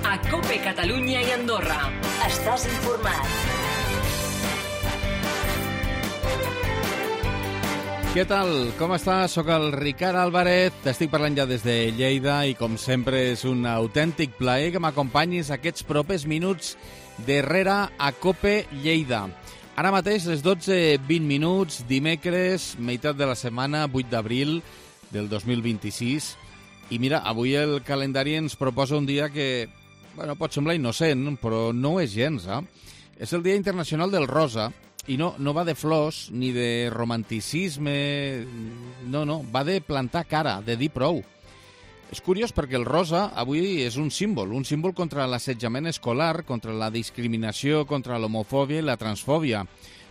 A COPE Catalunya i Andorra. Estàs informat. Què tal? Com estàs? Soc el Ricard Álvarez, t'estic parlant ja des de Lleida i com sempre és un autèntic plaer que m'acompanyis aquests propers minuts darrere a COPE Lleida. Ara mateix les 12:20 minuts, dimecres, meitat de la setmana, 8 d'abril del 2026. I mira, avui el calendari ens proposa un dia que, bueno, pot semblar innocent, però no ho és gens, És el Dia Internacional del Rosa. I no va de flors ni de romanticisme, no, va de plantar cara, de dir prou. És curiós perquè el rosa avui és un símbol contra l'assetjament escolar, contra la discriminació, contra l'homofòbia i la transfòbia.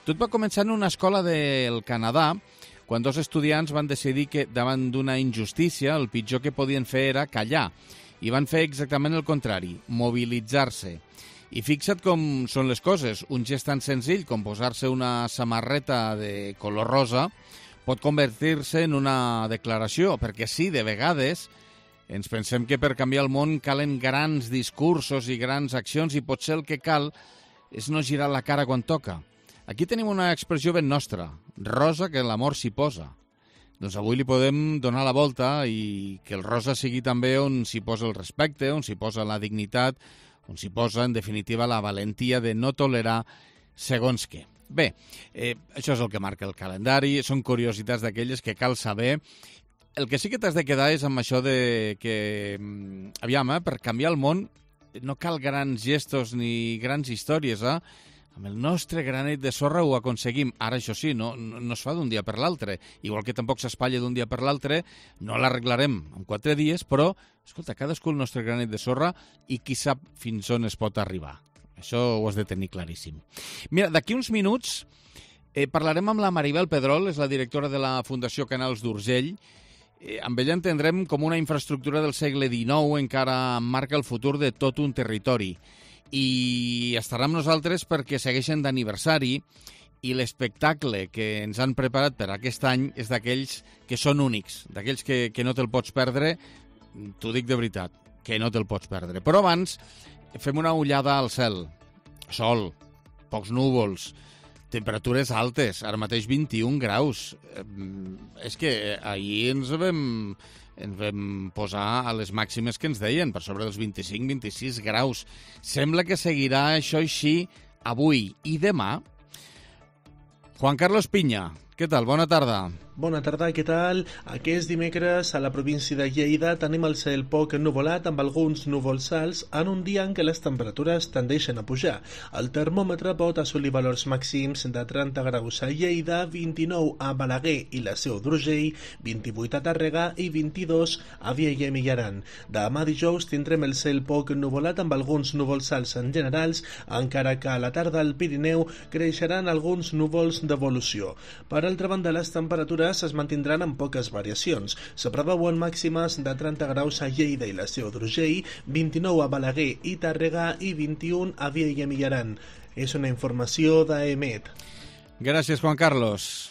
Tot va començar en una escola del Canadà, quan dos estudiants van decidir que davant d'una injustícia el pitjor que podien fer era callar, i van fer exactament el contrari, mobilitzar-se. I fixa't com són les coses. Un gest tan senzill com posar-se una samarreta de color rosa pot convertir-se en una declaració, perquè sí, de vegades ens pensem que per canviar el món calen grans discursos i grans accions i potser el que cal és no girar la cara quan toca. Aquí tenim una expressió ben nostra, rosa que l'amor s'hi posa. Doncs avui li podem donar la volta i que el rosa sigui també on s'hi posa el respecte, on s'hi posa la dignitat, on s'hi posa, en definitiva, la valentia de no tolerar segons què. Bé, això és el que marca el calendari, són curiositats d'aquelles que cal saber. El que sí que t'has de quedar és amb això de que, aviam, per canviar el món no cal grans gestos ni grans històries, Amb el nostre granet de sorra ho aconseguim. Ara, això sí, no es fa d'un dia per l'altre. Igual que tampoc s'espatlla d'un dia per l'altre, no l'arreglarem en 4 dies, però, escolta, cadascú el nostre granet de sorra i qui sap fins on es pot arribar. Això ho has de tenir claríssim. Mira, d'aquí uns minuts parlarem amb la Maribel Pedrol, és la directora de la Fundació Canals d'Urgell. Amb ella entendrem com una infraestructura del segle XIX encara marca el futur de tot un territori. I estarà amb nosaltres perquè segueixen d'aniversari i l'espectacle que ens han preparat per aquest any és d'aquells que són únics, d'aquells que no te'l pots perdre, t'ho dic de veritat, que no te'l pots perdre. Però abans fem una ullada al cel. Sol, pocs núvols, temperatures altes, ara mateix 21 graus. És que ahir ens vam posar a les màximes que ens deien, per sobre dels 25-26 graus. Sembla que seguirà això així avui i demà. Juan Carlos Piña, què tal? Bona tarda. Bona tarda, què tal? Aquest dimecres a la província de Lleida tenim el cel poc ennuvolat amb alguns núvols alts en un dia en què les temperatures tendeixen a pujar. El termòmetre pot assolir valors màxims de 30 graus a Lleida, 29 a Balaguer i la Seu d'Urgell, 28 a Tàrrega i 22 a Vielha i Mijaran. Demà dijous tindrem el cel poc ennuvolat amb alguns núvols alts en generals, encara que a la tarda al Pirineu creixeran alguns núvols d'evolució. Per altra banda, les temperatures es mantindran amb poques variacions. Se preveuen màximes de 30 graus a Lleida i la Seu d'Urgell, 29 a Balaguer i Tàrrega i 21 a Vielha i Mijaran. És una informació d'EMET. Gràcies, Juan Carlos.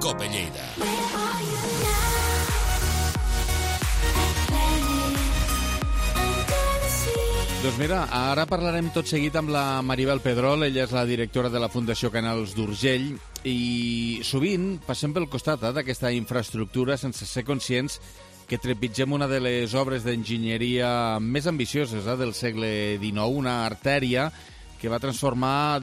COPE Lleida. Doncs mira, ara parlarem tot seguit amb la Maribel Pedrol, ella és la directora de la Fundació Canals d'Urgell, i sovint passem pel costat d'aquesta infraestructura sense ser conscients que trepitgem una de les obres d'enginyeria més ambicioses del segle XIX, una artèria que va transformar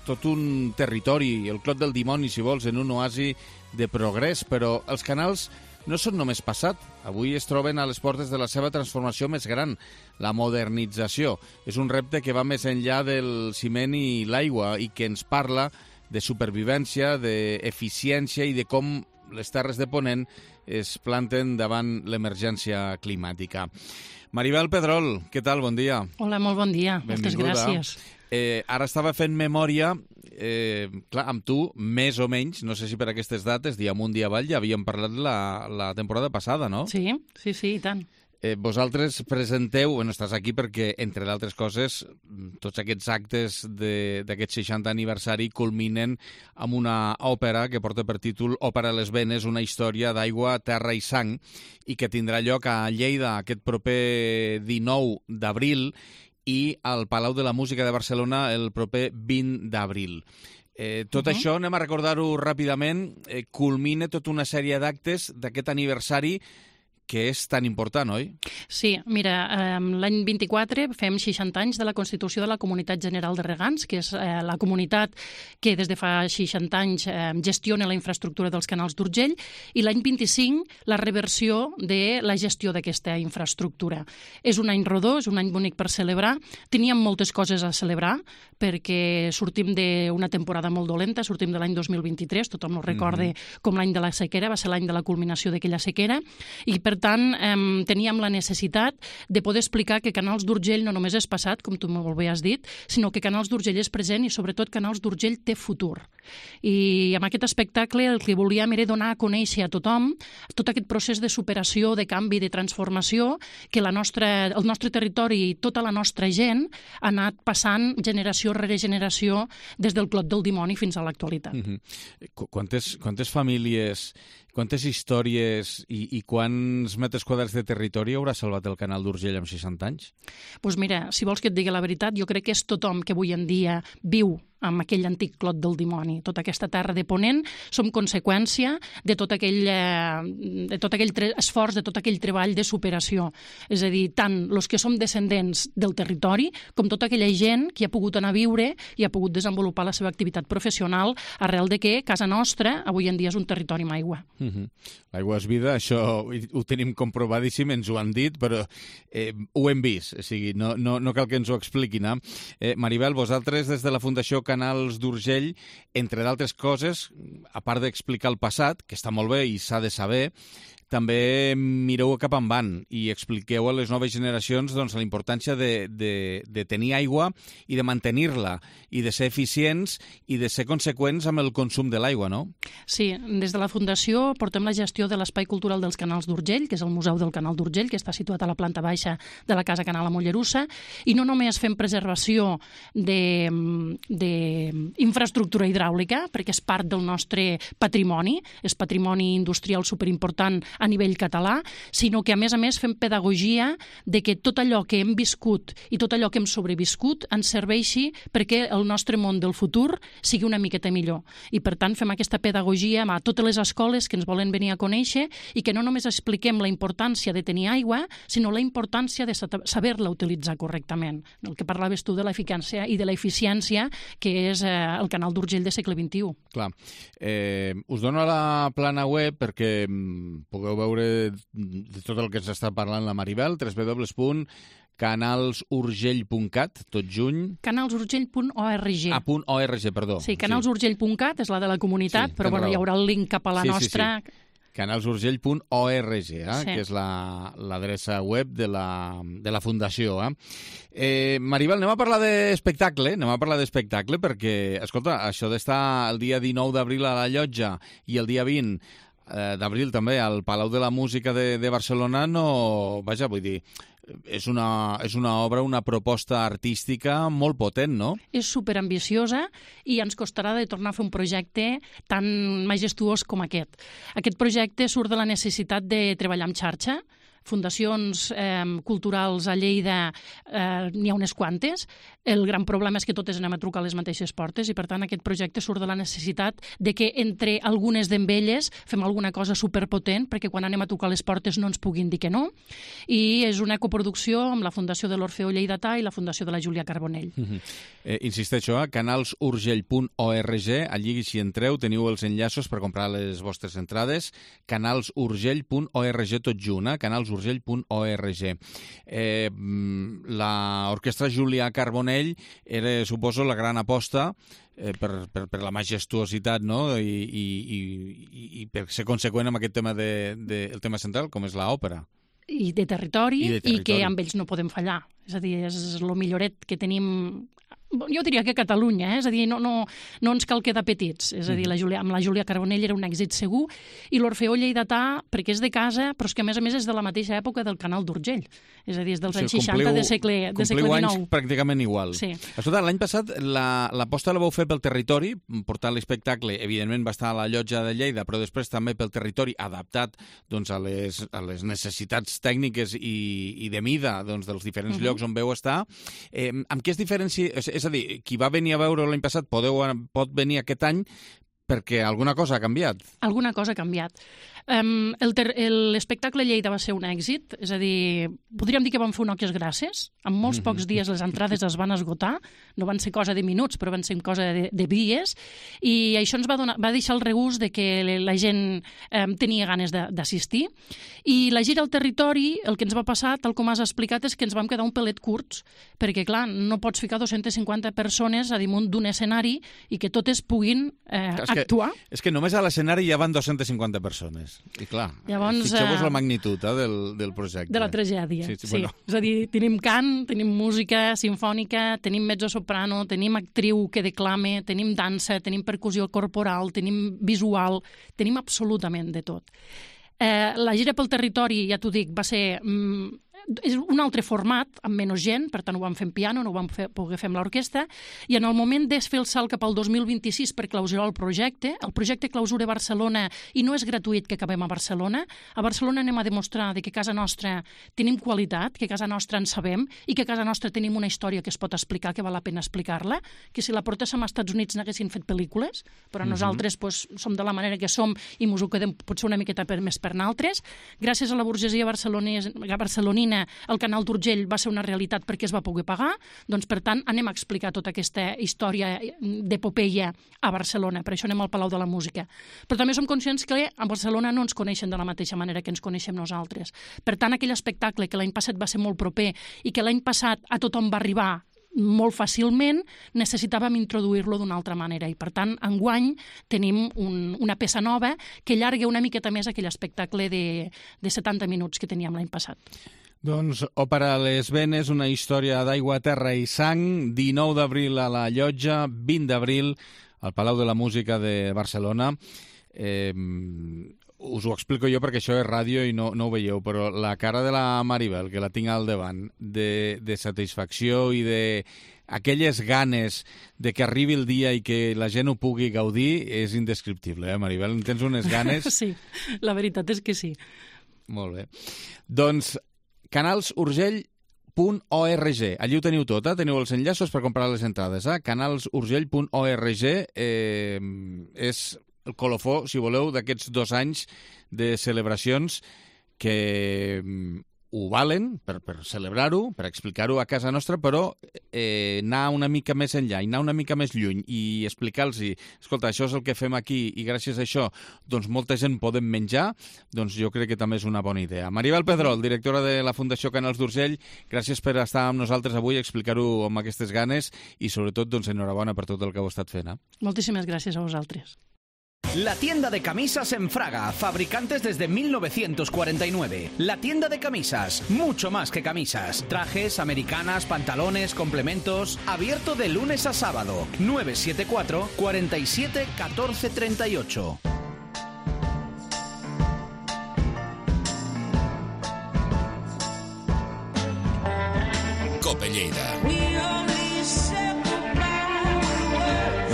tot un territori, el Clot del Dimoni, si vols, en un oasi de progrés, però els canals no són només passat. Avui es troben a les portes de la seva transformació més gran, la modernització. És un repte que va més enllà del ciment i l'aigua i que ens parla de supervivència, d'eficiència i de com les terres de Ponent es planten davant l'emergència climàtica. Maribel Pedrol, què tal? Bon dia. Hola, molt bon dia. Moltes gràcies. Ara estava fent memòria, clar, amb tu, més o menys, no sé si per aquestes dates, dia amunt, dia avall, ja havíem parlat la temporada passada, no? Sí, i tant. Vosaltres presenteu, estàs aquí perquè, entre d'altres coses, tots aquests actes d'aquest 60 aniversari culminen amb una òpera que porta per títol Òpera a les venes, una història d'aigua, terra i sang, i que tindrà lloc a Lleida aquest proper 19 d'abril i al Palau de la Música de Barcelona el proper 20 d'abril. Tot això, anem a recordar-ho ràpidament, culmina tota una sèrie d'actes d'aquest aniversari que és tan important, oi? Sí, mira, l'any 24 fem 60 anys de la Constitució de la Comunitat General de Regants, que és la comunitat que des de fa 60 anys gestiona la infraestructura dels canals d'Urgell, i l'any 25 la reversió de la gestió d'aquesta infraestructura. És un any rodó, és un any bonic per celebrar. Teníem moltes coses a celebrar, perquè sortim d'una temporada molt dolenta, sortim de l'any 2023, tothom ho recorda com l'any de la sequera, va ser l'any de la culminació d'aquella sequera, i per tant teníem la necessitat de poder explicar que Canals d'Urgell no només és passat, com tu molt bé has dit, sinó que Canals d'Urgell és present i sobretot Canals d'Urgell té futur. I amb aquest espectacle el que volíem era donar a conèixer a tothom tot aquest procés de superació, de canvi, de transformació que el nostre territori i tota la nostra gent ha anat passant generació rere generació des del Clot del Dimoni fins a l'actualitat. Quantes famílies, quantes històries i quants metres quadrats de territori haurà salvat el Canal d'Urgell amb 60 anys? Doncs mira, si vols que et digui la veritat, jo crec que és tothom que avui en dia viu amb aquell antic Clot del Dimoni. Tota aquesta terra de Ponent som conseqüència de tot aquell esforç, de tot aquell treball de superació. És a dir, tant els que som descendents del territori com tota aquella gent que ha pogut anar a viure i ha pogut desenvolupar la seva activitat professional arrel de que casa nostra avui en dia és un territori amb aigua. L'aigua és vida, això ho tenim comprovadíssim, ens ho han dit, però ho hem vist, o sigui, no cal que ens ho expliquin. Maribel, vosaltres des de la Fundació Canals d'Urgell, entre d'altres coses, a part d'explicar el passat, que està molt bé i s'ha de saber, també mireu cap endavant i expliqueu a les noves generacions la importància de tenir aigua i de mantenir-la, i de ser eficients i de ser conseqüents amb el consum de l'aigua, no? Sí, des de la Fundació portem la gestió de l'Espai Cultural dels Canals d'Urgell, que és el Museu del Canal d'Urgell, que està situat a la planta baixa de la Casa Canal a Mollerussa, i no només fem preservació d'infraestructura hidràulica, perquè és part del nostre patrimoni, és patrimoni industrial superimportant a nivell català, sinó que a més fem pedagogia de que tot allò que hem viscut i tot allò que hem sobreviscut ens serveixi perquè el nostre món del futur sigui una miqueta millor. I per tant fem aquesta pedagogia a totes les escoles que ens volen venir a conèixer i que no només expliquem la importància de tenir aigua, sinó la importància de saber-la utilitzar correctament. El que parlaves tu de l'eficàcia i de l'eficiència que és el Canal d'Urgell de segle XXI. Clar. Us dono la plana web perquè pugueu veure de tot el que ens està parlant la Maribel, www.canalsurgell.cat, tot juny. Canalsurgell.org. .org, perdó. Sí, canalsurgell.cat és la de la comunitat, sí, però hi haurà el link cap a la nostra... Sí. Canalsurgell.org, sí. Que és l'adreça web de la Fundació. Maribel, anem a parlar d'espectacle, perquè, escolta, això d'estar el dia 19 d'abril a la Llotja i el dia 20 d'abril també al Palau de la Música de Barcelona, és una obra, una proposta artística molt potent, no? És superambiciosa i ens costarà de tornar a fer un projecte tan majestuós com aquest. Aquest projecte surt de la necessitat de treballar en xarxa. Fundacions culturals a Lleida n'hi ha unes quantes. El gran problema és que totes anem a trucar a les mateixes portes i, per tant, aquest projecte surt de la necessitat de que entre algunes d'elles fem alguna cosa superpotent perquè quan anem a trucar a les portes no ens puguin dir que no. I és una coproducció amb la Fundació de l'Orfeó Lleidatà i la Fundació de la Júlia Carbonell. Insisteixo, canalsurgell.org, allí si entreu teniu els enllaços per comprar les vostres entrades, canalsurgell.org tot junt, canalsurgell.org. L'orquestra Júlia Carbonell era, suposo, la gran aposta per la majestuositat, no? I per ser conseqüent amb aquest tema el tema central, com és l'òpera. I de territori, i que amb ells no podem fallar. És a dir, és el milloret que tenim jo diria que a Catalunya, és a dir, no ens cal quedar petits, és a dir, amb la Júlia Carbonell era un èxit segur, i l'Orfeó Lleidatà, perquè és de casa, però és que a més és de la mateixa època del Canal d'Urgell, és a dir, és dels anys 60 de segle XIX. Compliu anys pràcticament igual. Sí. Escolta, l'any passat l'aposta la vau fer pel territori, portant l'espectacle, evidentment va estar a la Llotja de Lleida, però després també pel territori, adaptat doncs, a les necessitats tècniques i de mida doncs, dels diferents llocs on veu estar. Amb què es diferencia? És a dir, qui va venir a veure l'any passat pot venir aquest any perquè alguna cosa ha canviat. Alguna cosa ha canviat. L'espectacle Lleida va ser un èxit, és a dir, podríem dir que vam fer un oques grasses, en molts pocs dies les entrades es van esgotar, no van ser cosa de minuts, però van ser cosa de dies, i això ens va deixar el regust de que la gent tenia ganes d'assistir, i la gira al territori, el que ens va passar, tal com has explicat, és que ens vam quedar un pelet curts, perquè, clar, no pots ficar 250 persones a damunt d'un escenari i que totes puguin actuar. És que només a l'escenari ja van 250 persones. I clar, fixeu-vos la magnitud del projecte. De la tragèdia, sí. Bueno. És a dir, tenim cant, tenim música sinfònica, tenim mezzo-soprano, tenim actriu que declame, tenim dansa, tenim percussió corporal, tenim visual, tenim absolutament de tot. La gira pel territori, ja t'ho dic, va ser... és un altre format, amb menys gent, per tant ho vam fer en piano, no ho vam poder fer amb l'orquestra, i en el moment de fer el salt cap al 2026 per clausurar el projecte clausura Barcelona, i no és gratuït que acabem a Barcelona anem a demostrar que a casa nostra tenim qualitat, que a casa nostra en sabem, i que a casa nostra tenim una història que es pot explicar, que val la pena explicar-la, que si la portéssim als Estats Units n'haguessin fet pel·lícules, però nosaltres som de la manera que som i mos ho quedem potser una miqueta més per naltres. Gràcies a la burgesia barcelonina el Canal d'Urgell va ser una realitat perquè es va poder pagar, doncs per tant anem a explicar tota aquesta història d'epopeia a Barcelona, per això anem al Palau de la Música. Però també som conscients que a Barcelona no ens coneixen de la mateixa manera que ens coneixem nosaltres. Per tant, aquell espectacle que l'any passat va ser molt proper i que l'any passat a tothom va arribar molt fàcilment, necessitàvem introduir-lo d'una altra manera i, per tant, enguany tenim una peça nova que allarga una miqueta més aquell espectacle de 70 minuts que teníem l'any passat. Doncs Òpera a les venes, una història d'aigua, terra i sang, 19 d'abril a la Llotja, 20 d'abril al Palau de la Música de Barcelona. Us ho explico jo perquè això és ràdio i no ho veieu, però la cara de la Maribel, que la tinc al davant, de satisfacció i d'aquelles ganes de que arribi el dia i que la gent ho pugui gaudir és indescriptible, Maribel? En tens unes ganes? Sí, la veritat és que sí. Molt bé. Doncs canalsurgell.org. Allí ho teniu tot, teniu els enllaços per comprar les entrades. Canalsurgell.org és el colofó, si voleu, d'aquests 2 anys de celebracions que ho valen per celebrar-ho, per explicar-ho a casa nostra, però anar una mica més enllà i anar una mica més lluny i explicar-los, escolta, això és el que fem aquí i gràcies a això doncs molta gent podem menjar, doncs jo crec que també és una bona idea. Maribel Pedrol, directora de la Fundació Canals d'Urgell, gràcies per estar amb nosaltres avui, explicar-ho amb aquestes ganes i sobretot doncs enhorabona per tot el que heu estat fent. Moltíssimes gràcies a vosaltres. La tienda de camisas en Fraga, fabricantes desde 1949. La tienda de camisas, mucho más que camisas. Trajes, americanas, pantalones, complementos. Abierto de lunes a sábado. 974 47 14 38. Cope Lleida.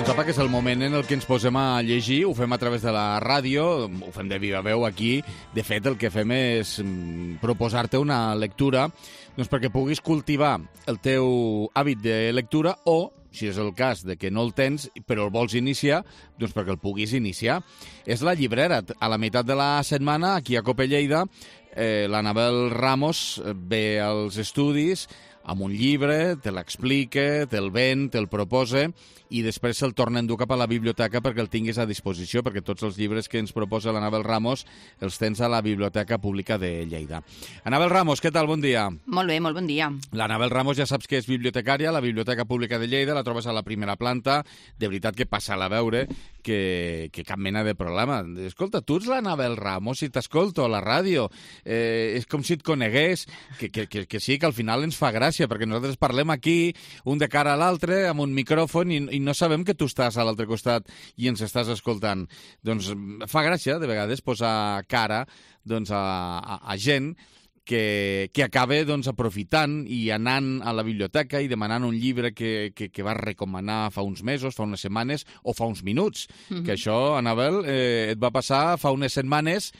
Doncs apa, que és el moment en el que ens posem a llegir, ho fem a través de la ràdio, ho fem de viva veu aquí. De fet, el que fem és proposar-te una lectura doncs perquè puguis cultivar el teu hàbit de lectura o, si és el cas de que no el tens, però el vols iniciar, doncs perquè el puguis iniciar. És la llibrera. A la meitat de la setmana, aquí a Cope Lleida, l'Anabel Ramos ve als estudis amb un llibre, te l'explica, te'l ven, te'l proposa i després se'l torna a endur cap a la biblioteca perquè el tinguis a disposició, perquè tots els llibres que ens proposa l'Anabel Ramos els tens a la Biblioteca Pública de Lleida. Anabel Ramos, què tal? Bon dia. Molt bé, molt bon dia. L'Anabel Ramos ja saps que és bibliotecària a la Biblioteca Pública de Lleida, la trobes a la primera planta, de veritat que passa-la a veure, que cap mena de problema. Escolta, tu ets l'Anabel Ramos i t'escolto a la ràdio. És com si et conegués, que sí, que al final ens fa gràcia gràcia, perquè nosaltres parlem aquí, un de cara a l'altre, amb un micròfon, i no sabem que tu estàs a l'altre costat i ens estàs escoltant. Doncs fa gràcia, de vegades, posar cara a gent que acaba aprofitant i anant a la biblioteca i demanant un llibre que va recomanar fa uns mesos, fa unes setmanes o fa uns minuts. Que això, Anabel, et va passar fa unes setmanes,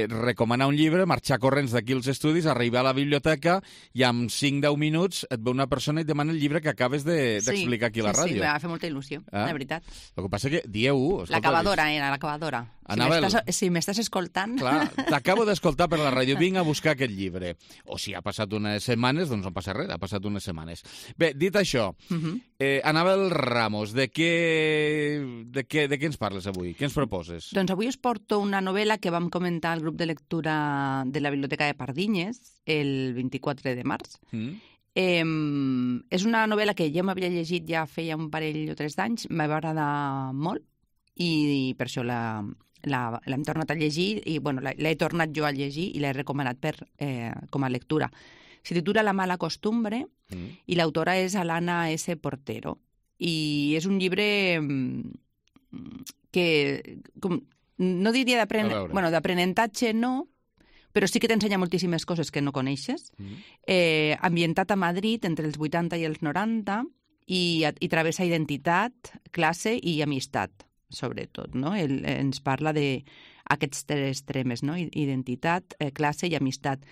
recomanar un llibre, marxar corrents d'aquí als estudis, arribar a la biblioteca i en 5-10 minuts et ve una persona i et demana el llibre que acabes d'explicar aquí a la ràdio. Sí, me va fer molta il·lusió, de veritat. El que passa que, dieu-ho... L'acabadora era, l'acabadora. Anabel, si m'estàs escoltant... Clar, t'acabo d'escoltar per la ràdio, vinc a buscar aquest llibre. O si ha passat unes setmanes, doncs no passa res, ha passat unes setmanes. Bé, dit això, Anabel Ramos, de què ens parles avui? Què ens proposes? Doncs avui us porto una novel·la que vam comentar al grup de lectura de la Biblioteca de Pardinyes el 24 de març. És una novel·la que jo m'havia llegit ja feia un parell o 3 d'anys, m'ha agradat molt i per això l'hem tornat a llegir i l'he tornat jo a llegir i l'he recomanat com a lectura. Se titula La mala costumbre i l'autora és Alana S. Portero. I és un llibre que no diria d'aprenentatge, no, però sí que t'ensenya moltíssimes coses que no coneixes. Ambientat a Madrid entre els 80 i els 90 i travessa identitat, classe i amistat, sobretot, no? Ens parla d'aquests 3 extremes, no? Identitat, classe i amistat.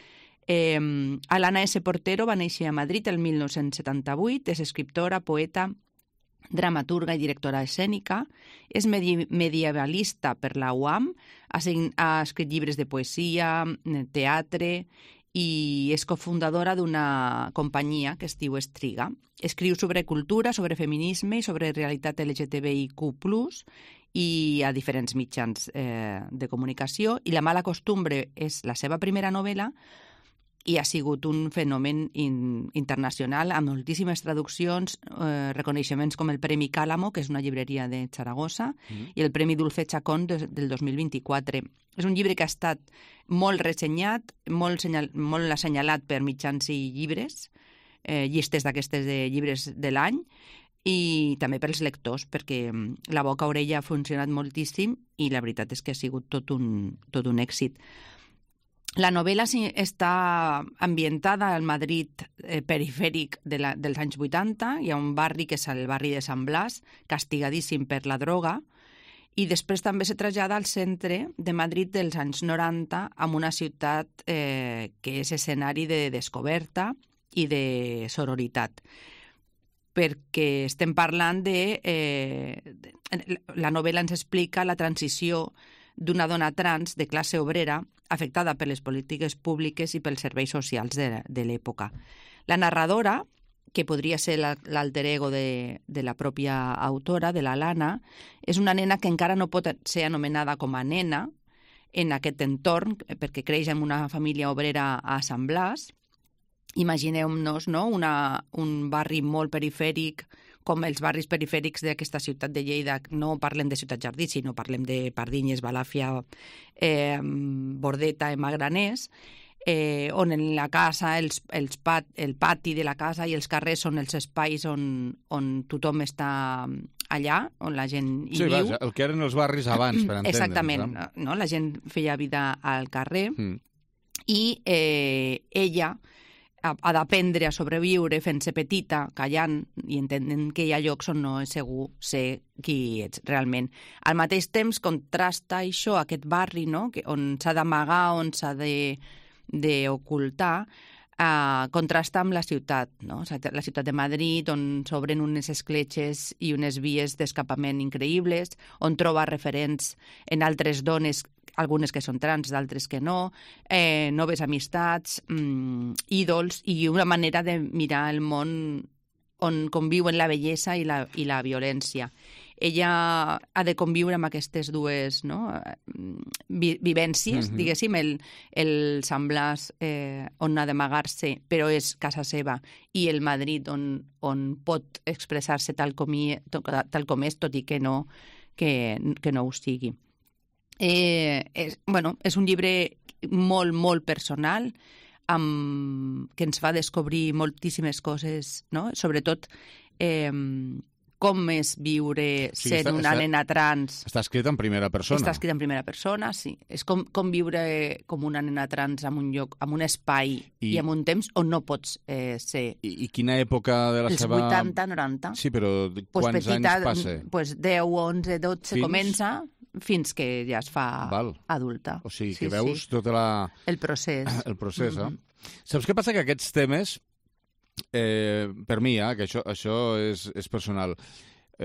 Alana S. Portero va néixer a Madrid el 1978, és escriptora, poeta, dramaturga i directora escènica, és medievalista per la UAM, ha escrit llibres de poesia, teatre i és cofundadora d'una companyia que es diu Estriga. Escriu sobre cultura, sobre feminisme i sobre realitat LGTBIQ+, i a diferents mitjans de comunicació. I La mala costumbre és la seva primera novel·la i ha sigut un fenomen internacional amb moltíssimes traduccions, reconeixements com el Premi Càlamo, que és una llibreria de Saragossa, i el Premi Dulce Chacón del 2024. És un llibre que ha estat molt ressenyat, molt assenyalat per mitjans i llibres, llistes d'aquestes de llibres de l'any, i també pels lectors, perquè la boca-orella ha funcionat moltíssim i la veritat és que ha sigut tot un èxit. La novel·la està ambientada al Madrid perifèric dels anys 80. Hi ha un barri que és el barri de Sant Blas, castigadíssim per la droga, i després també se trasllada al centre de Madrid dels anys 90 amb una ciutat que és escenari de descoberta i de sororitat. Perquè estem parlant la novel·la ens explica la transició d'una dona trans de classe obrera afectada per les polítiques públiques i pels serveis socials de l'època. La narradora, que podria ser l'alter ego de la pròpia autora, de l'Alana, és una nena que encara no pot ser anomenada com a nena en aquest entorn, perquè creix en una família obrera a Sant Blas. Imagineu-nos, no?, un barri molt perifèric, com els barris perifèrics d'aquesta ciutat de Lleida. No parlem de Ciutat Jardí, sinó parlem de Pardinyes, Balàfia, Bordeta, Magraners, on en la casa, el pati de la casa i els carrers són els espais on tothom està allà, on la gent hi viu. Sí, el que eren els barris abans, per entendre'ns. Exactament, no? La gent feia vida al carrer i ella ha d'aprendre a sobreviure fent-se petita, callant i entenent que hi ha llocs on no és segur ser qui ets realment. Al mateix temps contrasta això, aquest barri, no?, on s'ha d'amagar, on s'ha d'ocultar, contrasta amb la ciutat, no? La ciutat de Madrid, on s'obren unes escletxes i unes vies d'escapament increïbles, on troba referents en altres dones, algunes que són trans, d'altres que no, noves amistats, ídols i una manera de mirar el món on conviuen la bellesa i la violència. Ella ha de conviure amb aquestes dues vivències, diguéssim, el Sant Blas on ha d'amagar-se, però és casa seva, i el Madrid on pot expressar-se tal com és, tot i que no ho sigui. És un llibre molt, molt personal, que ens fa descobrir moltíssimes coses, no? Sobretot com és viure sent una nena trans. Està escrit en primera persona. Està escrit en primera persona, sí. És com viure com una nena trans en un lloc, en un espai i en un temps on no pots ser. I quina època de la seva... Els 80, 90. Sí, però quants anys passa? Doncs 10, 11, 12 comença fins que ja es fa adulta. O sigui, que veus tot el procés. El procés, Saps què passa? Que aquests temes... per mi, que això és personal.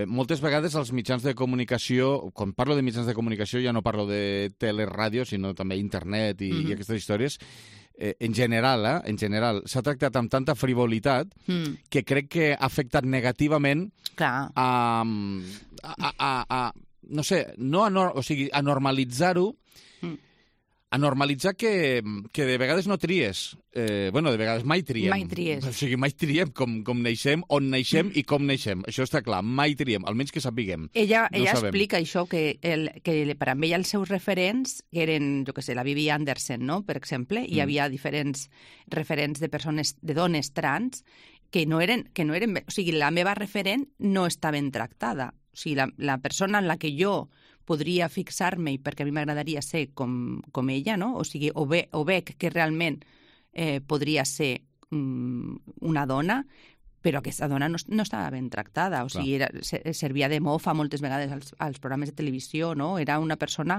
Moltes vegades els mitjans de comunicació, quan parlo de mitjans de comunicació ja no parlo de teleràdio, sinó també internet i aquestes històries, en general s'ha tractat amb tanta frivolitat que crec que ha afectat negativament no sé, a normalitzar-ho, a normalitzar que de vegades no tries. De vegades mai triem. Mai tries. O sigui, mai triem com neixem, on neixem i com neixem. Això està clar, mai triem, almenys que sapiguem. Ella explica això, que per a ella els seus referents, que eren, jo què sé, la Bibi Andersen, no?, per exemple, hi havia diferents referents de persones, de dones trans, que no eren... O sigui, la meva referent no està ben tractada. O sigui, la persona en la que jo podria fixar-me, perquè a mi m'agradaria ser com ella, no? O sigui, o veig que realment podria ser una dona, però aquesta dona no estava ben tractada. O sigui, servia de mofa moltes vegades als programes de televisió, no? Era una persona,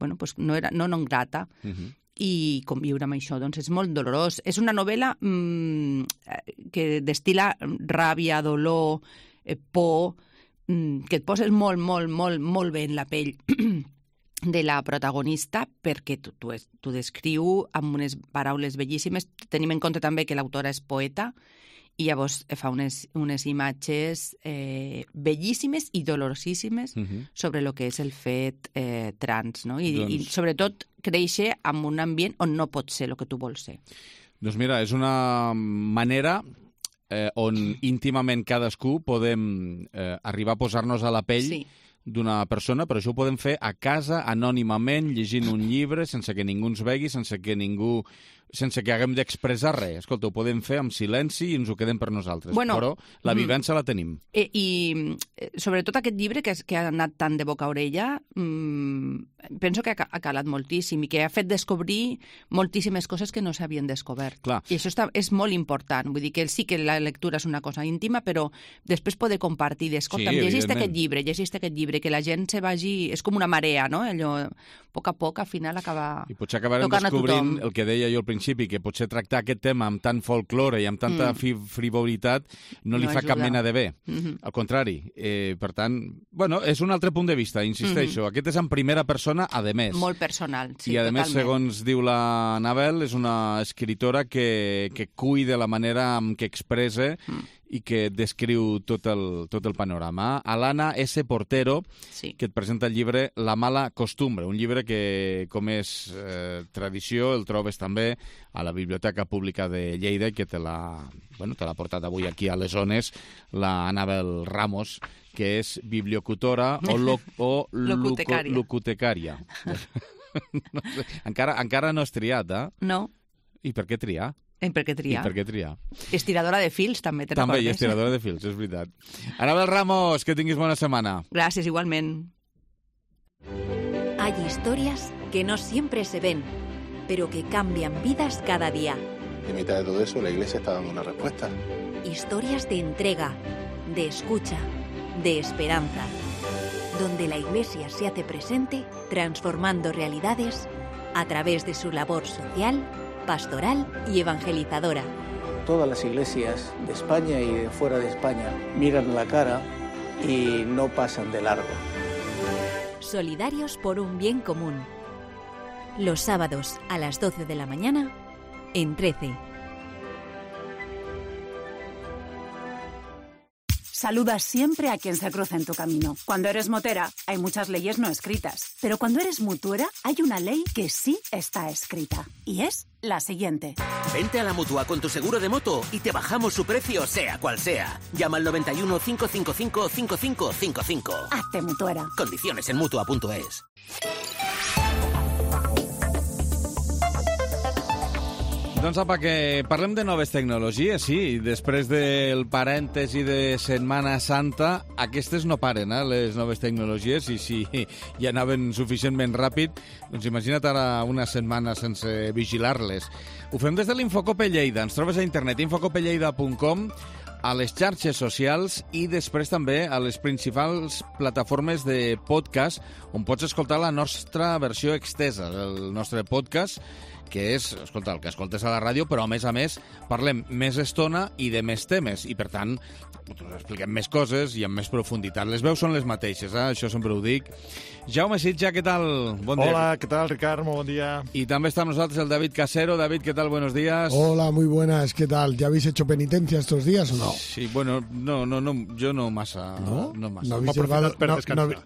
no non grata. I conviure amb això, doncs és molt dolorós. És una novel·la que destil·la ràbia, dolor, por, que et poses molt, molt, molt, molt bé en la pell de la protagonista, perquè t'ho descriu amb unes paraules bellíssimes. Tenim en compte també que l'autora és poeta i llavors fa unes imatges bellíssimes i dolorosíssimes sobre el que és el fet trans, no? I sobretot créixer en un ambient on no pots ser el que tu vols ser. Doncs mira, és una manera on íntimament cadascú podem arribar a posar-nos a la pell d'una persona, però això ho podem fer a casa, anònimament, llegint un llibre, sense que ningú ens vegi, sense que haguem d'expressar res. Escolta, ho podem fer amb silenci i ens ho quedem per nosaltres. Però la vivència la tenim. I sobretot aquest llibre, que ha anat tant de boca a orella, penso que ha calat moltíssim i que ha fet descobrir moltíssimes coses que no s'havien descobert. Clar. I això és molt important. Vull dir que sí que la lectura és una cosa íntima, però després poder compartir, escolta, llegiste aquest llibre, que la gent se vagi... És com una marea, no? Allò, a poc, al final acaba i potser acabarem descobrint el que deia jo al principi, que potser tractar aquest tema amb tant folklore i amb tanta frivolitat no li fa cap mena de bé. Al contrari. Per tant, és un altre punt de vista, insisteixo. Aquest és en primera persona, a més. Molt personal, sí, i a totalment. Més, segons diu la Anabel, és una escritora que cuida la manera en què expressa i que descriu tot el panorama. Alana S. Portero, que et presenta el llibre La mala costumbre, un llibre que, com és tradició, el trobes també a la Biblioteca Pública de Lleida, que te l'ha portat avui aquí a les zones la Anabel Ramos, que és bibliocutora o locutecària. No sé. Encara no has triat, No. I per què triar? Per què triar? Estiradora de fils, també te recordes. També, estiradora de fils, és veritat. Anabel Ramos, que tinguis bona setmana. Gràcies, igualment. Hay historias que no siempre se ven, pero que cambian vidas cada día. En mitad de todo eso, la Iglesia está dando una respuesta. Historias de entrega, de escucha, de esperanza, donde la Iglesia se hace presente transformando realidades a través de su labor social, pastoral y evangelizadora. Todas las iglesias de España y de fuera de España miran la cara y no pasan de largo. Solidarios por un bien común. Los sábados a las 12 de la mañana en 13. Saluda siempre a quien se cruza en tu camino. Cuando eres motera, hay muchas leyes no escritas. Pero cuando eres mutuera, hay una ley que sí está escrita. Y es la siguiente. Vente a la Mutua con tu seguro de moto y te bajamos su precio, sea cual sea. Llama al 91 555 5555. Hazte mutuera. Condiciones en Mutua.es. Doncs apa, que parlem de noves tecnologies, sí. Després del parèntesi de Setmana Santa, aquestes no paren, les noves tecnologies, i si ja anaven suficientment ràpid, doncs imagina't ara una setmana sense vigilar-les. Ho fem des de l'Infocope Lleida. Ens trobes a internet, infocopelleida.com, a les xarxes socials i després també a les principals plataformes de podcast on pots escoltar la nostra versió extesa del nostre podcast, que és, escolta, el que escoltes a la ràdio, però a més parlem més estona i de més temes, i per tant expliquem més coses i amb més profunditat. Les veus són les mateixes, això sempre ho dic. Jaume Sitja, què tal? Bon dia. Hola, ¿qué tal, Ricard? Muy buen día. Y también está con nosotros el David Casero. David, ¿qué tal? Buenos días. Hola, muy buenas. ¿Qué tal? ¿Ya habéis hecho penitencia estos días o no? Sí, bueno, no, yo no masa. ¿No? No masa.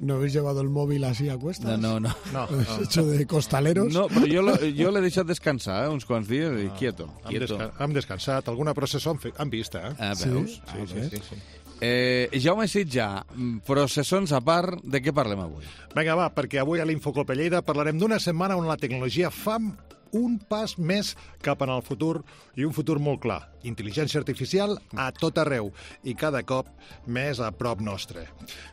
¿No habéis llevado el móvil así a cuestas? No. ¿Habéis hecho de costaleros? No, però jo l'he deixat descansar uns quants dies i quieto. Hem descansat. Alguna processó han vist, veus? Sí. Jaume Sitja, processons a part, de què parlem avui? Vinga, va, perquè avui a l'Infocope Lleida parlarem d'una setmana on la tecnologia fa un pas més cap en el futur, i un futur molt clar. Intel·ligència artificial a tot arreu i cada cop més a prop nostre.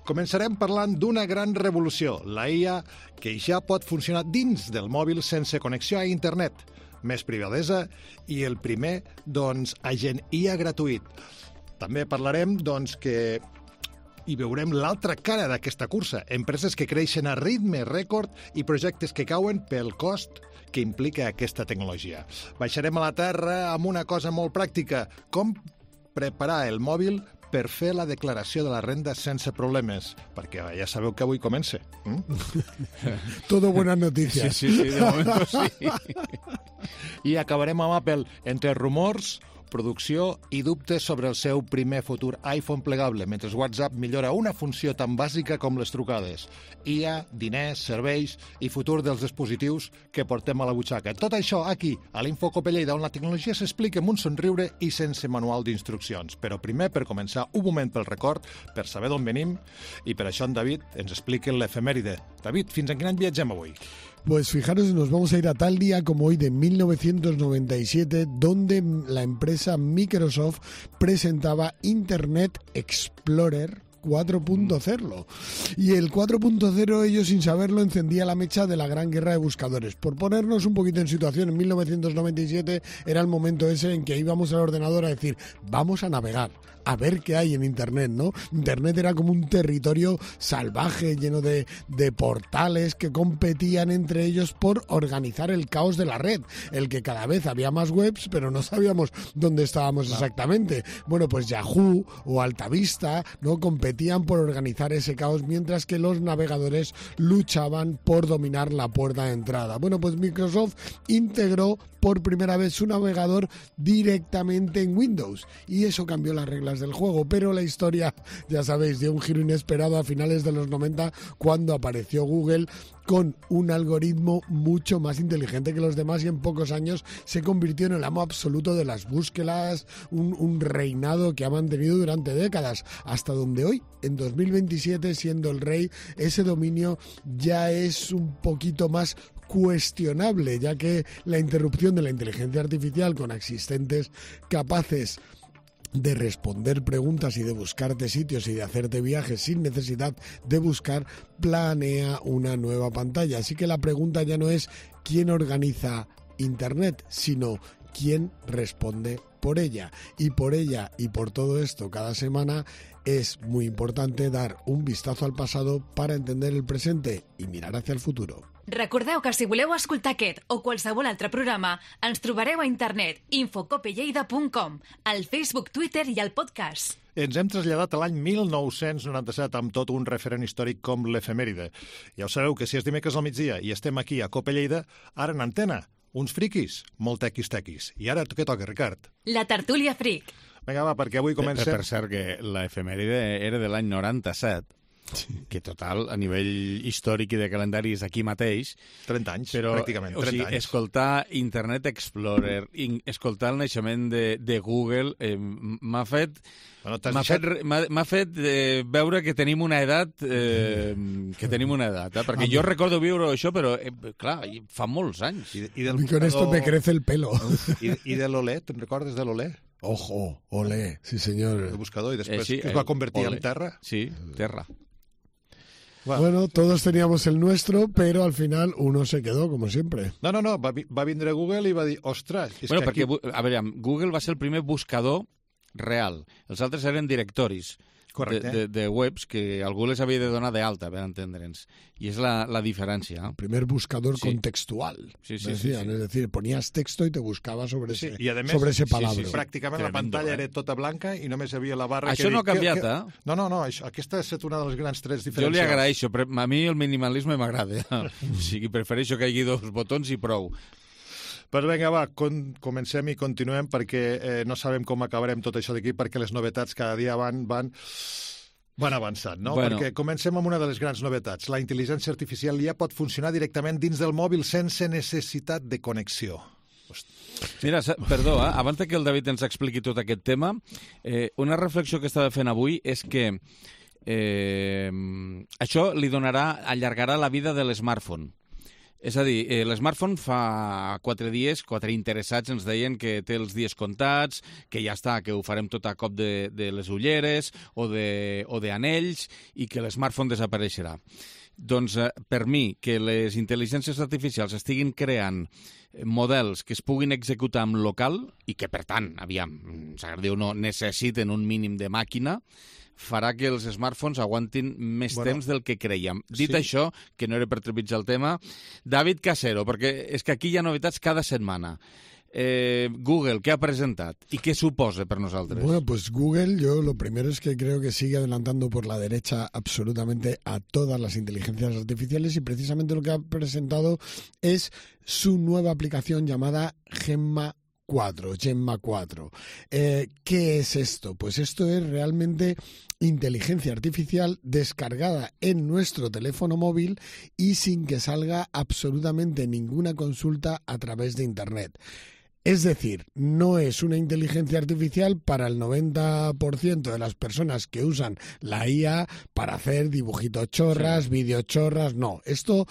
Començarem parlant d'una gran revolució, la IA, que ja pot funcionar dins del mòbil sense connexió a internet. Més privadesa i el primer, agent IA gratuït. També parlarem, que hi veurem l'altra cara d'aquesta cursa. Empreses que creixen a ritme rècord i projectes que cauen pel cost que implica aquesta tecnologia. Baixarem a la terra amb una cosa molt pràctica. Com preparar el mòbil per fer la declaració de la renda sense problemes, perquè ja sabeu que avui comença. Todo buenas noticias. Sí, de momento sí. I acabarem amb Apple, entre rumors, producció i dubtes sobre el seu primer futur iPhone plegable, mentre WhatsApp millora una funció tan bàsica com les trucades. IA, diners, serveis i futur dels dispositius que portem a la butxaca. Tot això aquí, a l'Infocope Lleida, on la tecnologia s'explica amb un somriure i sense manual d'instruccions. Però primer, per començar, un moment pel record, per saber d'on venim, i per això en David ens explica l'efemèride. David, fins en quin any viatgem avui? Pues fijaros, nos vamos a ir a tal día como hoy de 1997, donde la empresa Microsoft presentaba Internet Explorer 4.0. Y el 4.0, ellos sin saberlo, encendía la mecha de la gran guerra de buscadores. Por ponernos un poquito en situación, en 1997 era el momento ese en que íbamos al ordenador a decir, vamos a navegar, a ver qué hay en Internet, ¿no? Internet era como un territorio salvaje, lleno de portales que competían entre ellos por organizar el caos de la red, el que cada vez había más webs, pero no sabíamos dónde estábamos exactamente. Bueno, pues Yahoo o Altavista, ¿no?, competían por organizar ese caos, mientras que los navegadores luchaban por dominar la puerta de entrada. Bueno, pues Microsoft integró por primera vez su navegador directamente en Windows, y eso cambió las reglas del juego, pero la historia, ya sabéis, dio un giro inesperado a finales de los 90, cuando apareció Google con un algoritmo mucho más inteligente que los demás, y en pocos años se convirtió en el amo absoluto de las búsquedas, un reinado que ha mantenido durante décadas, hasta donde hoy, en 2027, siendo el rey, ese dominio ya es un poquito más cuestionable, ya que la interrupción de la inteligencia artificial con asistentes capaces de responder preguntas y de buscarte sitios y de hacerte viajes sin necesidad de buscar, planea una nueva pantalla. Así que la pregunta ya no es quién organiza Internet, sino quién responde por ella. Y por todo esto, cada semana es muy importante dar un vistazo al pasado para entender el presente y mirar hacia el futuro. Recordeu que si voleu escoltar aquest o qualsevol altre programa, ens trobareu a internet infocopelleida.com, al Facebook, Twitter i al podcast. Ens hem traslladat a l'any 1997 amb tot un referent històric com l'efemèride. Ja ho sabeu que si és dimecres al migdia i estem aquí a Cope Lleida, ara en antena, uns friquis, molt tequis. I ara què toca, Ricard? La tertúlia fric. Vinga, va, perquè avui comencem... Per cert, que l'efemèride era de l'any 97, que total, a nivell històric i de calendari és aquí mateix. 30 anys, però, pràcticament, 30 anys. Escoltar Internet Explorer, escoltar el naixement de Google, m'ha fet veure que tenim una edat, perquè jo recordo viure això, però, clar, fa molts anys. Y con esto me crece el pelo. I de l'Olé, te'n recordes de l'Olé? Ojo, Olé, sí senyor. El buscador, i després que es va convertir en Terra. Sí, Terra. Bueno, todos teníamos el nuestro, pero al final uno se quedó, como siempre. No, va vindre Google i va dir, ostres... Bueno, perquè, a veure, Google va ser el primer buscador real. Els altres eren directoris de webs que algú les havia de donar d'alta, per entendre'ns. I és la diferència. El primer buscador contextual, decían. Es decir, ponías texto y te buscaba sobre ese palabra. Pràcticament la pantalla era tota blanca i només hi havia la barra... Això no ha canviat, eh? No, aquesta ha estat una dels grans trets diferencials. Jo li agraeixo, però a mi el minimalisme m'agrada. O sigui, prefereixo que hi hagi 2 botons i prou. Però vinga, va, comencem i continuem perquè no sabem com acabarem tot això d'aquí perquè les novetats cada dia van avançant, no? Bueno. Perquè comencem amb una de les grans novetats. La intel·ligència artificial ja pot funcionar directament dins del mòbil sense necessitat de connexió. Mira, perdó, abans que el David ens expliqui tot aquest tema, una reflexió que estava fent avui és que això li allargarà la vida de l'smartphone. És a dir, l'smartphone fa 4 dies, 4 interessats ens deien que té els dies comptats, que ja està, que ho farem tot a cop de les ulleres o d'anells i que l'smartphone desapareixerà. Doncs per mi, que les intel·ligències artificials estiguin creant models que es puguin executar en local i que, per tant, s'agradi o no, necessiten un mínim de màquina, farà que els smartphones aguantin més temps del que creiem. Dit això, que no era per trepitjar el tema, David Casero, perquè és que aquí hi ha novetats cada setmana. Google, ¿qué ha presentado? ¿Y qué supone para nosotros? Bueno, pues Google, yo lo primero es que creo que sigue adelantando por la derecha absolutamente a todas las inteligencias artificiales y precisamente lo que ha presentado es su nueva aplicación llamada Gemma 4. ¿Qué es esto? Pues esto es realmente inteligencia artificial descargada en nuestro teléfono móvil y sin que salga absolutamente ninguna consulta a través de Internet. Es decir, no es una inteligencia artificial para el 90% de las personas que usan la IA para hacer dibujitos chorras, videochorras, no. Esto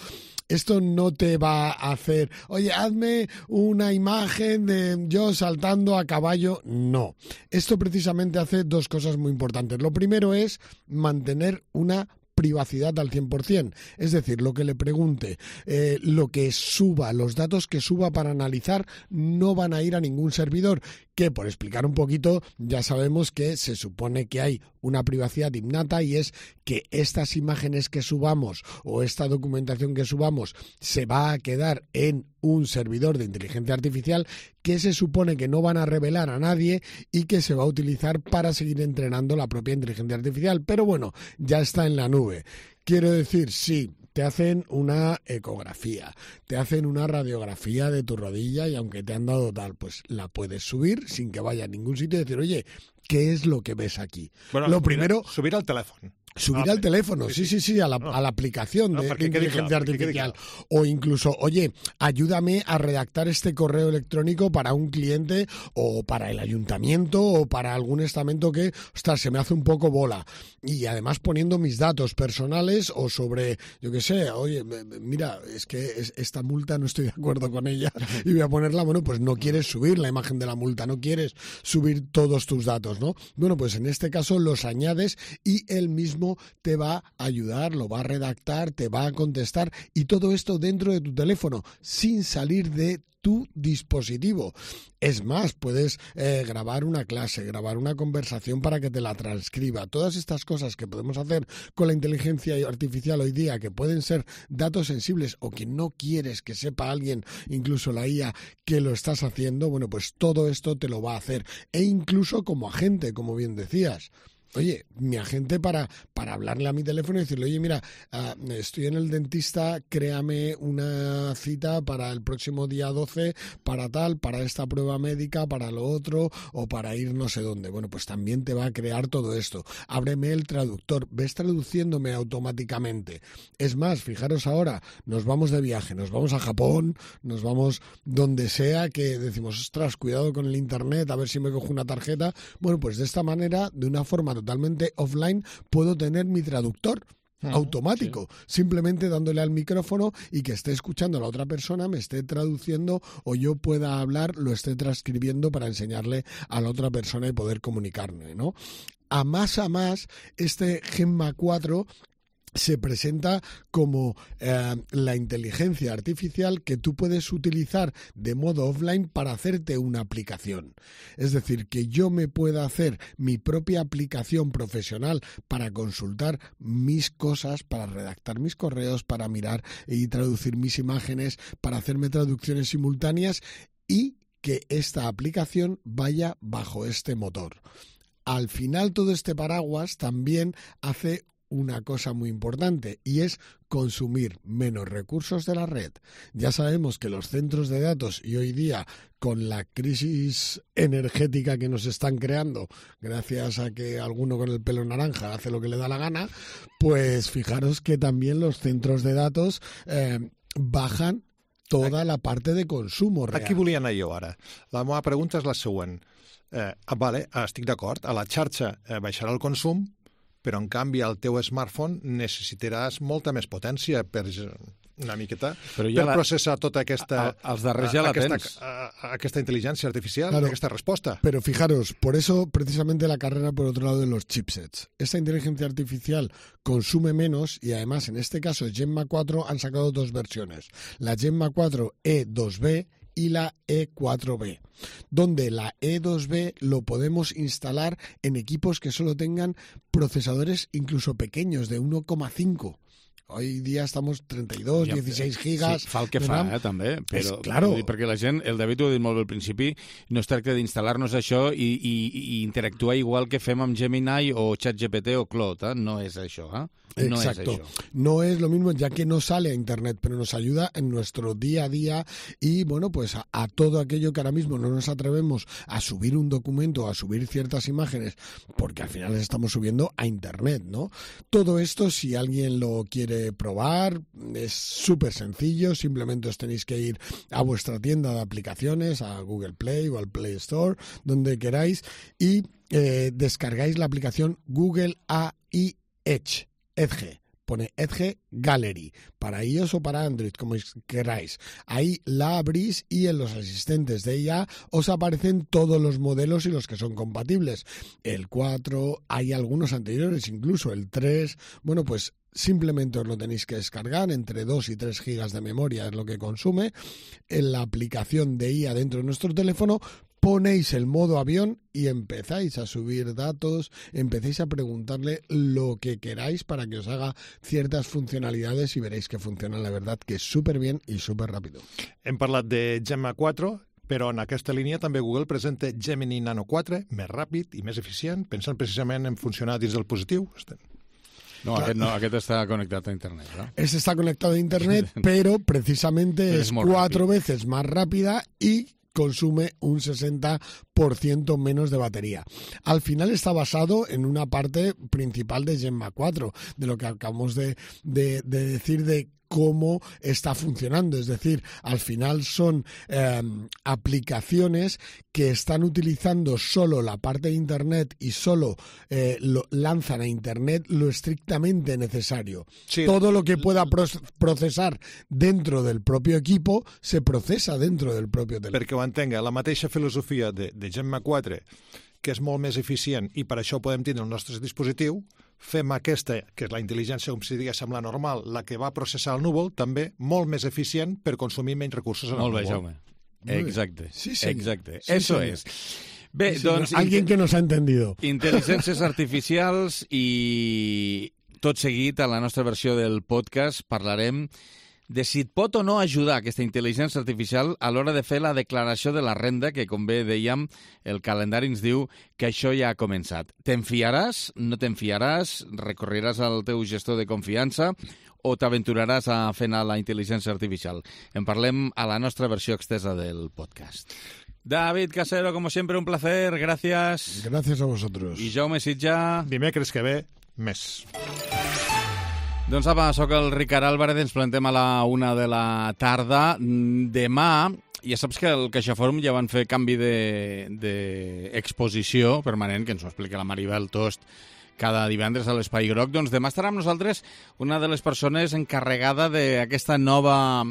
no te va a hacer, oye, hazme una imagen de yo saltando a caballo. No. Esto precisamente hace 2 cosas muy importantes. Lo primero es mantener una privacidad al 100%, es decir, lo que le pregunte, lo que suba, los datos que suba para analizar no van a ir a ningún servidor, que por explicar un poquito ya sabemos que se supone que hay una privacidad innata y es que estas imágenes que subamos o esta documentación que subamos se va a quedar en un servidor de inteligencia artificial que se supone que no van a revelar a nadie y que se va a utilizar para seguir entrenando la propia inteligencia artificial. Pero bueno, ya está en la nube. Quiero decir, sí, te hacen una ecografía, te hacen una radiografía de tu rodilla y aunque te han dado tal, pues la puedes subir sin que vaya a ningún sitio y decir, oye, ¿qué es lo que ves aquí? Bueno, lo primero... Subir al teléfono. Subir al teléfono, sí, a la aplicación de inteligencia artificial. O incluso, oye, ayúdame a redactar este correo electrónico para un cliente o para el ayuntamiento o para algún estamento que, ostras, se me hace un poco bola. Y además poniendo mis datos personales o sobre, yo qué sé, oye, mira, es que esta multa no estoy de acuerdo con ella y voy a ponerla, bueno, pues no quieres subir la imagen de la multa, no quieres subir todos tus datos, ¿no? Bueno, pues en este caso los añades y él mismo te va a ayudar, lo va a redactar, te va a contestar y todo esto dentro de tu teléfono, sin salir de tu dispositivo. Es más, puedes grabar una clase, grabar una conversación para que te la transcriba. Todas estas cosas que podemos hacer con la inteligencia artificial hoy día, que pueden ser datos sensibles o que no quieres que sepa alguien, incluso la IA, que lo estás haciendo, bueno, pues todo esto te lo va a hacer. E incluso como agente, como bien decías. Oye, mi agente para hablarle a mi teléfono y decirle, oye, mira, estoy en el dentista, créame una cita para el próximo día 12, para tal, para esta prueba médica, para lo otro, o para ir no sé dónde. Bueno, pues también te va a crear todo esto. Ábreme el traductor, ves traduciéndome automáticamente. Es más, fijaros ahora, nos vamos de viaje, nos vamos a Japón, nos vamos donde sea, que decimos, ostras, cuidado con el internet, a ver si me cojo una tarjeta. Bueno, pues de esta manera, de una forma totalmente offline, puedo tener mi traductor automático, simplemente dándole al micrófono y que esté escuchando a la otra persona, me esté traduciendo o yo pueda hablar, lo esté transcribiendo para enseñarle a la otra persona y poder comunicarme, ¿no? A más, este Gemma 4 se presenta como la inteligencia artificial que tú puedes utilizar de modo offline para hacerte una aplicación. Es decir, que yo me pueda hacer mi propia aplicación profesional para consultar mis cosas, para redactar mis correos, para mirar y traducir mis imágenes, para hacerme traducciones simultáneas y que esta aplicación vaya bajo este motor. Al final, todo este paraguas también hace una cosa muy importante y es consumir menos recursos de la red. Ya sabemos que los centros de datos y hoy día con la crisis energética que nos están creando gracias a que alguno con el pelo naranja hace lo que le da la gana, pues fijaros que también los centros de datos bajan toda la parte de consumo real. Aquí volia anar jo ara. La meva pregunta és la següent. Vale, estic d'acord, a la xarxa baixarà el consum, però en canvi al teu smartphone necessitaràs molta més potència per una miqueta per processar tota aquesta inteligencia artificial, claro, esta respuesta. Pero fijaros, por eso precisamente la carrera por otro lado de los chipsets. Esta inteligencia artificial consume menos y además en este caso Gemma 4 han sacado dos versiones. La Gemma 4 E2B y la E4B, donde la E2B lo podemos instalar en equipos que solo tengan procesadores incluso pequeños de 1,5. Hoy dia estamos 32, 16 gigas... Sí, fa el que fa, també. Però, claro. Perquè la gent, el David ho ha dit molt bé al principi, no es tracta d'instal·lar-nos això i interactuar igual que fem amb Gemini o ChatGPT o Claude, no és això, No Exacto. es eso. No es lo mismo, ya que no sale a Internet, pero nos ayuda en nuestro día a día y, bueno, pues a todo aquello que ahora mismo no nos atrevemos a subir un documento, a subir ciertas imágenes, porque al final les estamos subiendo a Internet, ¿no? Todo esto, si alguien lo quiere probar, es súper sencillo, simplemente os tenéis que ir a vuestra tienda de aplicaciones, a Google Play o al Play Store, donde queráis, y descargáis la aplicación Google AI Edge. Edge, pone Edge Gallery, para iOS o para Android, como queráis. Ahí la abrís y en los asistentes de IA os aparecen todos los modelos y los que son compatibles. El 4, hay algunos anteriores, incluso el 3, bueno, pues simplemente os lo tenéis que descargar, entre 2 y 3 gigas de memoria es lo que consume. En la aplicación de IA dentro de nuestro teléfono ponéis el modo avión y empezáis a subir datos, empecéis a preguntarle lo que queráis para que os haga ciertas funcionalidades y veréis que funciona, la verdad, que súper bien y súper rápido. Hem parlat de Gemma 4, però en aquesta línia també Google presenta Gemini Nano 4, més ràpid i més eficient, pensant precisament en funcionar dins del dispositiu. No, aquest està conectado a Internet, ¿no? Este está conectado a Internet, pero precisamente es 4 veces más rápida y consume un 60% menos de batería. Al final está basado en una parte principal de Gemma 4, de lo que acabamos de decir de cómo está funcionando. Es decir, al final son aplicaciones que están utilizando solo la parte de Internet y solo lanzan a Internet lo estrictamente necesario. Sí. Todo lo que pueda procesar dentro del propio equipo se procesa dentro del propio teléfono. Perquè ho entenga, la mateixa filosofia de Gemma 4, que és molt més eficient i per això podem tindre el nostre dispositiu, fem aquesta, que és la intel·ligència, com si diguéssim, la normal, la que va processar el núvol, també molt més eficient per consumir menys recursos en el núvol. Molt bé, Jaume. Exacte. Sí, exacte. Sí, eso es. Bé, sí, doncs... Alguien que nos ha entendido. Intel·ligències artificials i tot seguit a la nostra versió del podcast parlarem de si et pot o no ajudar aquesta intel·ligència artificial a l'hora de fer la declaració de la renda, que, com bé dèiem, el calendari ens diu que això ja ha començat. Te'n fiaràs? No te'n fiaràs? Recorreràs al teu gestor de confiança? O t'aventuraràs a fer anar la intel·ligència artificial? En parlem a la nostra versió extensa del podcast. David Casero, como siempre, un placer. Gracias. Gracias a vosotros. I Jaume Sitja. Dimecres que ve, més. Doncs apa, sóc el Ricard Álvarez, ens plantem a la 1 de la tarda. Demà, ja saps que el CaixaForum ja van fer canvi d'exposició permanent, que ens ho explica la Maribel Tost, cada divendres a l'Espai Groc. Doncs demà estarà amb nosaltres una de les persones encarregada d'aquesta nova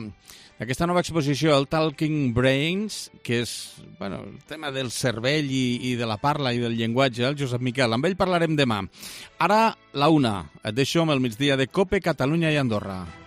exposició, el Talking Brains, que és el tema del cervell i de la parla i del llenguatge, el Josep Miquel. Amb ell parlarem demà. Ara, la 1. Et deixo amb el migdia de COPE, Catalunya i Andorra.